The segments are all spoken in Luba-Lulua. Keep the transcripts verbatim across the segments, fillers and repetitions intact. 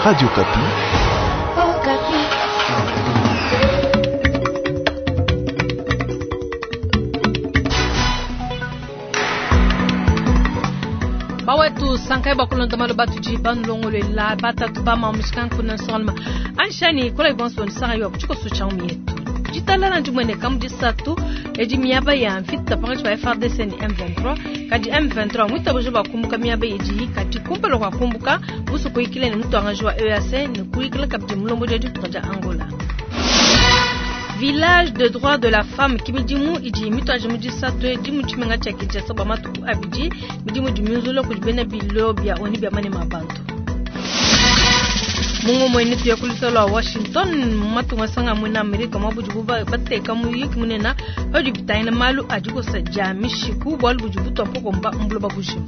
Radio Okapi. Okapi. Bawetu sankai bakulonda malo batudi banulongolela batatu bamamushika nkuna nsolma anshani kola ibonso nsanga yo kuchiko sucha umietu ditalala ndimwene kamu disatu edi miaba ya mvita pakati pa F A R D C ni M vingt-trois kadi M vingt-trois mwitabuja bakumbuka miaba idi kadi kumpala kwa kumbuka busu kuikile ni mutuangaji wa E A C ni kuikile kabidi mulombo dia ditunga dia Angola. Village de droit de la femme kimidimu idi mituaje mu disatu edi mu tshimenga tshia Kinshasa bua matuku abidi, midimu idi miunzula kudi bena bilo bia ONU bia manema a bantu. Mungu mwene tuya kulisa lwa Washington matunga sanga mwena Amerika mwabuji buba bateka muyiki munena padi bitayina malu adikosa dia mishiku bwalu budi butwa mpoko mba mbulo babujimu.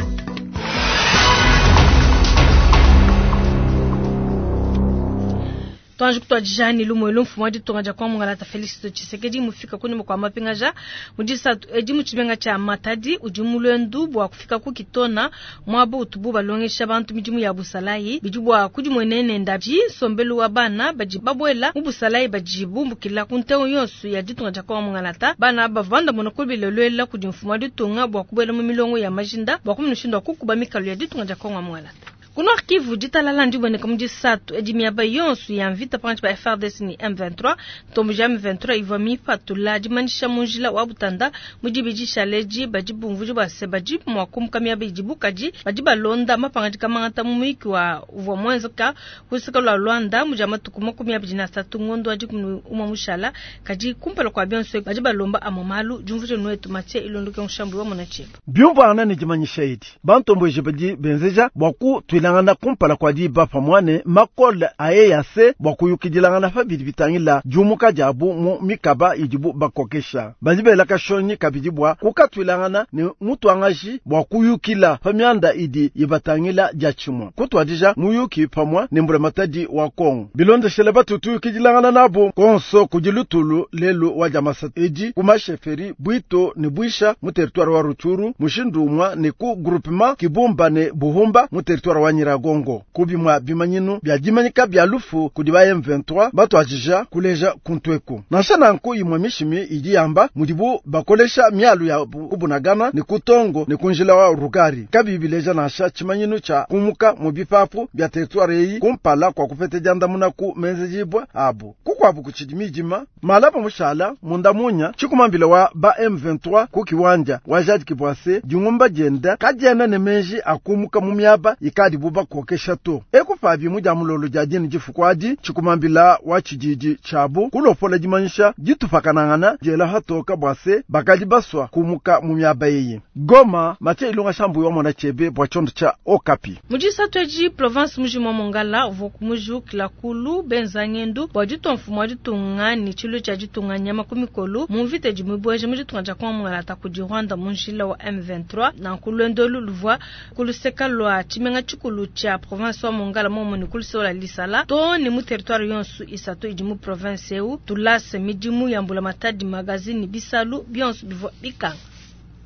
Twanji kutwadijani lumwe lumfumu wa ditunga dia kwa Mungalata Felix Tshisekedi mufika kunyuma kwa mapingaja mudisatu edi mu tshimenga tshia Matadi udi mulwendu bua kufika ku Kitona mwabo utubu balongesha bantu midimu ya busalayi bidi bua kudimwenene ndaji nsombelu wa bana badi babwela mu busalayi badi bumbukila ku ntengo yonso ya ditunga dia kwa Mungalata. Bana bavanda mona kubilelwela kudi mfumu wa ditunga bua kubwela mu milongo ya majinda bua kumunushindu kukuba mikalo ya ditunga dia kwa Mungalata. Ku Nord Kivu ditalala ndiboneka mu disatu edi miaba yonso ya mvita pakati pa F A R D C ni M vingt-trois. Ntombo ja M vingt-trois ivua mipatula dimanyisha mu njila wa butanda mu dibidi shaleji badi bumvudi bua se badi mua kumuka miaba idibu kadi badi balonda mapangadika mangata mu muyiki wa uvua muenzeka luseke lua Luanda mu dia matuku makumi abidi na asatu ngondo wa dikumi ne umue mushala kadi kumpala kua bionso badi balomba amwe malu diumvuija nuetu Mathieu Ilondoke Nshambu wa mona tshieba. Biumvuangana ne dimanyisha edi bantomboji badi benzeja bua kutuilangana kumpala kua diba pamue makole a E A C bua kuyukidilangana pa bidi bitangila diumuka diabu mu mikaba idibu bakokesha. Badi bela kashonyi kabidi bua kukatuilangana ne mutuangaji bua kuyukila pa mianda idi ibatangila dia tshimue kutuadija muyuki pamue ne mbulamatadi wa Kongo. Bilondeshele batu tuyukidilangana nabo konso kudi lutulu lelu wa diamasa edi ku masheferi Bwito ne Bwisha mu territoire wa Rutshuru, mushindu umue ne ku groupement Kibumba ne Buhumba mu territoire wa Nyiragongo. Kubimwa bimanyinu bya dimanyika bya lufu kudi ba M vingt-trois batuadija kuleja kuntweku. Nansha nanku imwe mishimi idi yamba mudibu bakolesha mialu ya kubunagana ne kutongo ne kunjila wa Rugari kabi bileja nansha tshimanyinu tsha kumuka mu bipapu bya territoire eyi kumpala kwa kupete diandamuna ku menzejibwa abu kukwabu kuchidi midima malapa mushala munda munya tshikumambila wa ba M vingt-trois ku kiwanja wa Jade Kibwase dingumba dienda kadiena ne menji akumuka mu miaba ikadi buba kokesha to ekupabi mu dia mulolo dia dini difukwadi tshikumambila wa tshididi tshabu kulopola dimanyisha ditupakanangana diela hatoka bwase bakadi baswa kumuka mu miaba eyi. Goma, Mathieu Ilunga Shambu wa mona chebe bwa tshiondo tsha Okapi. Mujisatu edi province mujima wa Mongala uvua kumujukila kulu benza ngendu bua ditua mfumu wa ditunga ne tshilu tshia ditunga nyama ku mikolo mu mvita idi mibueje mu ditunga dia Kongo Mongala kudi Rwanda mu njila wa M vingt-trois. Nanku luendo luvua ku luseka lua tshimenga tshikulu tshia province wa Mongala momo ne ku luseka lua Lisala to ne mu territoire yonso isatu idi mu province eu tulase midimu ya mbulamatadi magazine bisalu bionso bivua bikanga.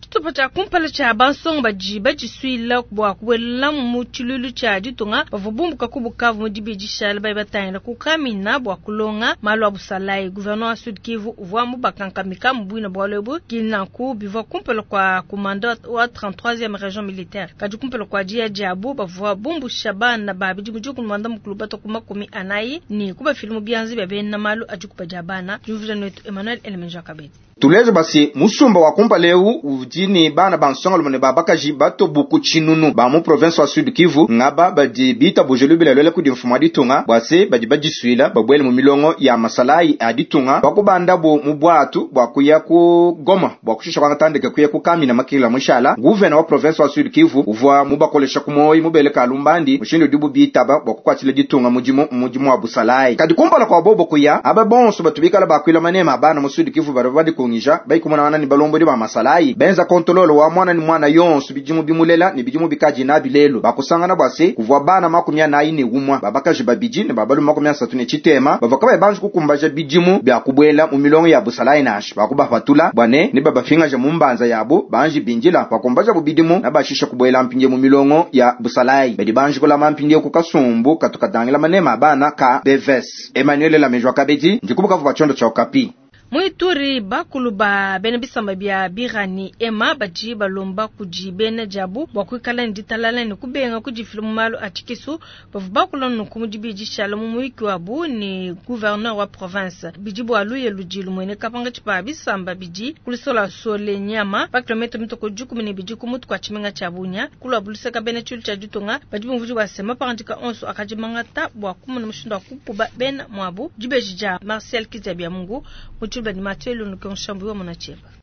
Tshitupa tshia kumpala tshia bansonga badi badisuila bua kubuela mu tshilulu tshia ditunga bavua bumbuka ku Bukavu mu dibidi shala bayi batangila ku Kamina bua kulonga malu a busalayi. Gouverneur wa Sud Kivu uvua mubakankamika mu buina bualu ebu kinanku bivua kumpala kwa komanda wa trente-troisième région militaire. Kadi kumpala kua dia diabu bavua bumbusha bana ba bidimu dikumi muanda mukulu bato ku makumi anayi ne kubafila mu bianza bia bena malu a dikuba dia bana. Diumvuija netu Emmanuel Elemenja Kabedi. Tuleje basi musumba wa kumpala eu udi ne bana ba nsongalume ne babakaji batobuku tshinunu ba mu province wa Sud Kivu ngaba badi bitabuje lubila lwele kudi mfumu wa ditunga bua se badi badisuila babuele mu milongo ya masalayi a ditunga bakubandabo mu bwatu bua kuya ku Goma bua kushisha kwanga kuya ku Kamina makila mushala. Gouverneur wa province wa Sud Kivu uvua mubakolesha ku moyi mubele kalumbandi mushindu udibu bitaba bua kukwatshila ditunga mudimu mudimu wa busalayi. Kadi kumpala kwa bobo kuya aba bonso batu bikala bakwila manema abana mu Sud Kivu bari badi ditungija baikumonangana ne balombodi ba masalayi benza kontololo wa mwana ni mwana yonso bidimu bimulela ne bidimu bikadi nabi lelo bakusangana bwa se kuvua bana makumi anayi ne umwa babakaji babidi ne babalu makumi asatu ne tshitema bavua kabayi banji kukumbaja bidimu bya kubwela mu milongo ya busalayi nashi bakubapatula bwane ne babafingaja mu mbanza yabo banji bindila bakumbaja bubidimu na bashisha kubwela mpinje mu milongo ya busalayi badi banji kulama mpinje ku kasumbu katukatangila manema abana ka B V S. Emmanuel Lamejwa Kabedi ndikubuka vuba chondo cha Okapi. Muituri bakulu ba bena bisamba bya birani ema baji balomba kuji bena jabu bwa kuikala nditalala ne kubenga kujifila mu malu a tshikisu bavu bakula nunku mu dibidi shala mu muyiki wabu ni gouverneur wa province bidi bwa luye ludi lumwene kapanga tshipa bisamba bidi kulisola sole nyama pa kilometre mitoko dikumi ne bidi ku mutu kwa tshimenga tshia Bunia kulwa buluseka bena tshilu tshia ditunga badi bumvuji bwa sema parandika onso akadimangata bwa kumuna mushindu wa kukuba bena mwabu dibeji dia Marcel Kizabia Mungu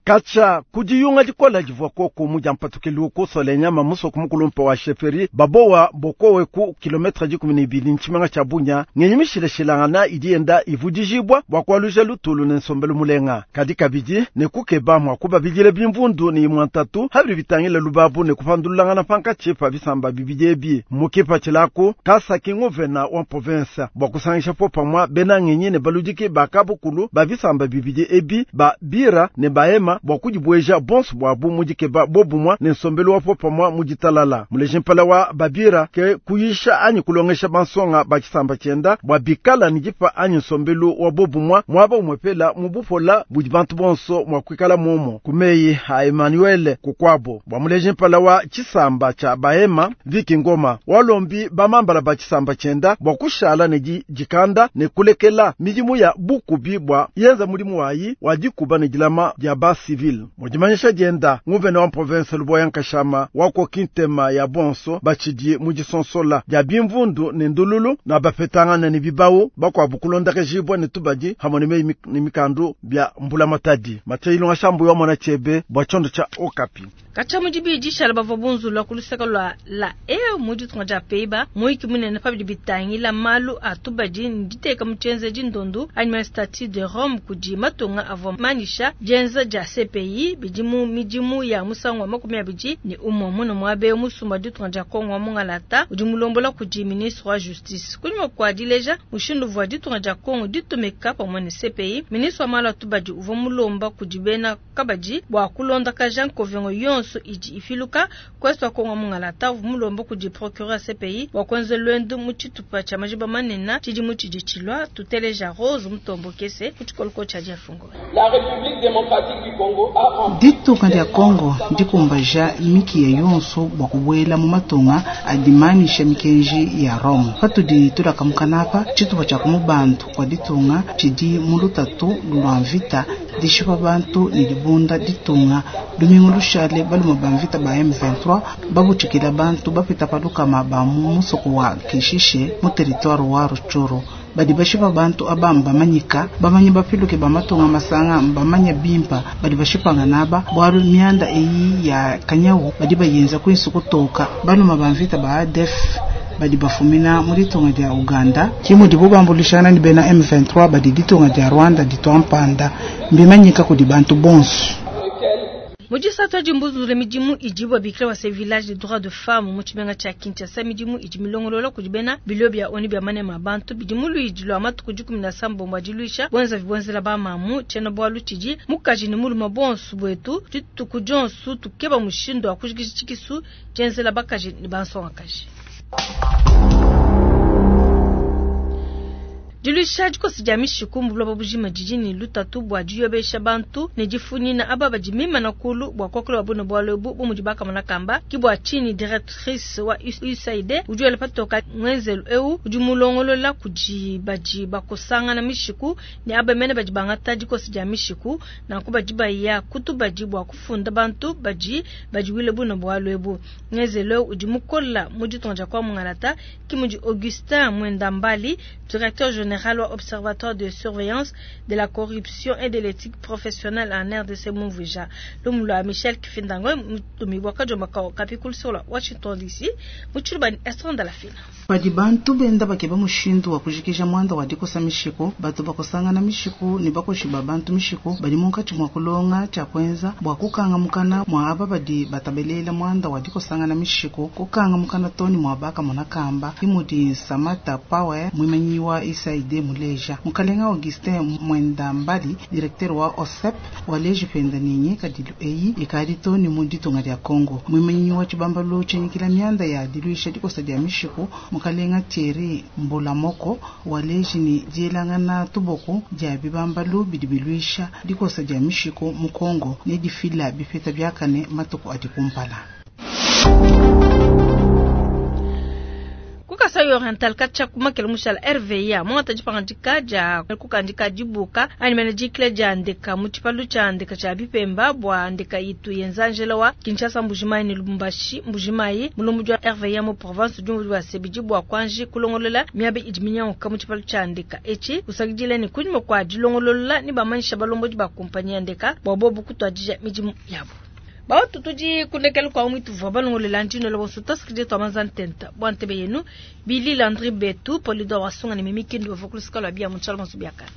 Kacha kujiyunga dikola divua koko muja mpatukili sole nyama musoko mukulumpa wa sheferi babowa bokowe ku kilometre dikumi ne ibili ntshimanga tshia Bunia ngenyi mishilashilangana idi yenda ivudijibwa bua kualuja lutulu ne nsombelu mulenga kadi kabidi ne kukeba mua kubabidile bimvundu ne imua ntatu habili bitangila lubabu ne kupandululangana pankatshi pa bisamba bibidi ebi mukipa tshilaku kasaki nguvena wa province bua kusangisha po pamua bena ngenyi ne baludiki bakabukulu ba bisamba bibidi ebi ba bira ne baema bua kudibweja bonso bwabu mudikeba bobumwa ne nsombelu wa popamwa muditalala muleji mpala wa babira ke kuyisha anyi kulongesha bansonga ba tshisamba tshienda bua bikala ne dipa anyi nsombelu wa bobumwa mwaba umwepela mubupola budi bantu bonso mwa kuikala momo kumeyi a Emmanuel kukwabo bua muleji mpala wa tshisamba tshia baema Viki Ngoma walombi bamambala ba tshisamba tshienda bua kushala ne dikanda ne kulekela midimu ya bukubi bua yenza mudimu wayi wa dikuba ne dilama dia ba civil mudimanyisha dienda nguvena wa province Luboya Nkashama wako kintema ya bonso bachidi mudisonsola dia bimvundu ne ndululu na bapetangana ne bibawu bakwabu kulondakajibwa ne tubadi hamwe ne ne mikandu bya mbula matadi matayilo ngashambu wa mwana chebe bwa chondo cha Okapi. Kacha mudibi dishala bavua bunzula kuluseka lwa la e mudi tunga peiba muiki munene pa bidi bitangila malu atubadi nditeka mutyenze dindondu anima statut de Rome kudi matunga avua manisha dienza dia C P I bidimu midimu ya musangu wa makumi abidi ni umwe muno mwabe musumba ditunga dia Kongo wa mungalata udi mulombola kudi ministre wa justice kunyuma kwa dileja mushindu vua ditunga dia Kongo ditumika pamwe ne C P I ministre wa malu atubadi uvua mulomba kudi bena kabadi bua kulondakaja nkovengo yonso idi ifiluka kwesta Kongo mungalata uvua mulomba kudi procureur C P I bua kuenza lwendo mu tshitupa tshia majiba manene tshidi tshidi tshilwa tuteleja Rose Mutombo kese ku tshikoloko tshia Diafungo. La République démocratique du Congo a ditunga dia Congo ndikumbaja miki ya yonso bua kubwela mu matunga adimanisha mikenji ya Rome patudi tulakamukanapa tshitupa tshia kumubantu kwa ditunga tshidi mu lutatu lwa mvita dishipa bantu ne dibunda ditunga lumingu lushale baluma ba mvita ba M vingt-trois babutshikila bantu bapita palukama ba mu musoko wa Kishishe mu territoire wa Rutshuru badi bashipa bantu abamba bamanyika bamanyi bapiluke bamatunga masanga bamanya bimpa badi bashipanga naba bwalu mianda eyi ya kanyawu badi bayenza kwinsu kutoka baluma ba mvita ba A D F badi bafumina mu ditunga dia Uganda kimudi bubambulishana ni bena M vingt-trois badi ditunga dia Rwanda ditwampanda mbimanyika kudi bantu bonso. Mujisatu dimbuzule midimu idibwa bikira wa village de droits de femme mu tshimenga tshia Kinshasa midimu idi milongolola kudi bena bilo bya oni bya manema bantu bidimu luidi lwa matuku dikumi na sambo diluisha bwenza vibwenzela ba mamu tshiena bwalu tshidi mukaji ne muluma bonso bwetu dituku dionso tukeba mushindu wa kujikija tshikisu tshienzela bakaji ne bansongakaji. Diluisha dikosi dia mishiku mbuloba bujima jiji lutatu bua diyobesha bantu ne difunina aba badi mimana kulu bua kuakula babune bwalu ebu bu mudi bakamona kamba ki bua chini directrice wa U S A I D udi wela patoka ngwenzelu eu udi mulongolola kudi badi bakosangana mishiku ne aba mene badi bangata dikosi dia mishiku nanku badi baya kutu badi bua kufunda bantu badi badiwile bune bwalu ebu ngwenzelu eu udi mukola mu ditunga kwa mungalata ki mudi Augustin Mwendambali directeur général Observatoire de surveillance de la corruption et de l'éthique professionnelle en R D C Mumvuja. Lumula Michel Kifindango, Mutumiwaka Jomaka Kapikul sur la Washington D C, Muchulubani Estran de la Fina. Padi bantu benda bakeba mushindu wa kujikija muanda wa dikosa mishiku, batu bakosangana mishiku ne bakoshi ba bantu mishiku badi munkatshi mua kulonga tshia kuenza bua kukanga mukana mua aba badi batabelela muanda wa dikosangana mishiku, kukanga mukana to ne mua bakamona kamba. Ke mudi Samata Power muimanyi wa U S A I D muleja. Mukalenga Augustin Mwenda Mbali, directeur wa O S E P, waleji penda ninyi kadilu eyi ikadi to ne mu ditunga dia Congo. Muimanyi wa tshibambalu tshinyikila mianda ya diluisha dikosa dia mishiku, mukalenga Thierry Mbulamoko, waleji ni dielangana tuboko dia bibambalu bidi biluisha dikosa dia mishiku mu Congo ne difila bipeta biakane matuku adi kumpala. Ku Kasai Oriental katshia kumakela mushala R V A mwangata dipangadika dia kukandika dibuka anyi mene dikila dia ndeka mu tshipalu tshia ndeka tshia bipemba bua ndeka itu yenza njela wa Kinshasa, Mbujimayi ne Lubumbashi. Mbujimayi mulombodi wa R V A mu province diumvu bua sebidi bua kuanji kulongolola miaba idi minyanguka mu tshipalu tshia ndeka etshi, usakidila ne kunyima kua dilongolola ne bamanyisha balombodi ba kumpanyi ya ndeka bua bobu kutuadija midimu yabo. Bautu tudi kundekela kwa mwitu vwa balongolela ndino la bonso tasikije twa manza ntenta bwa ntebe yenu Bili Landry Betu Polidor Wasunga ne Mimi Kindu bavua kulusika lwa bia mu tshala bonso biakana.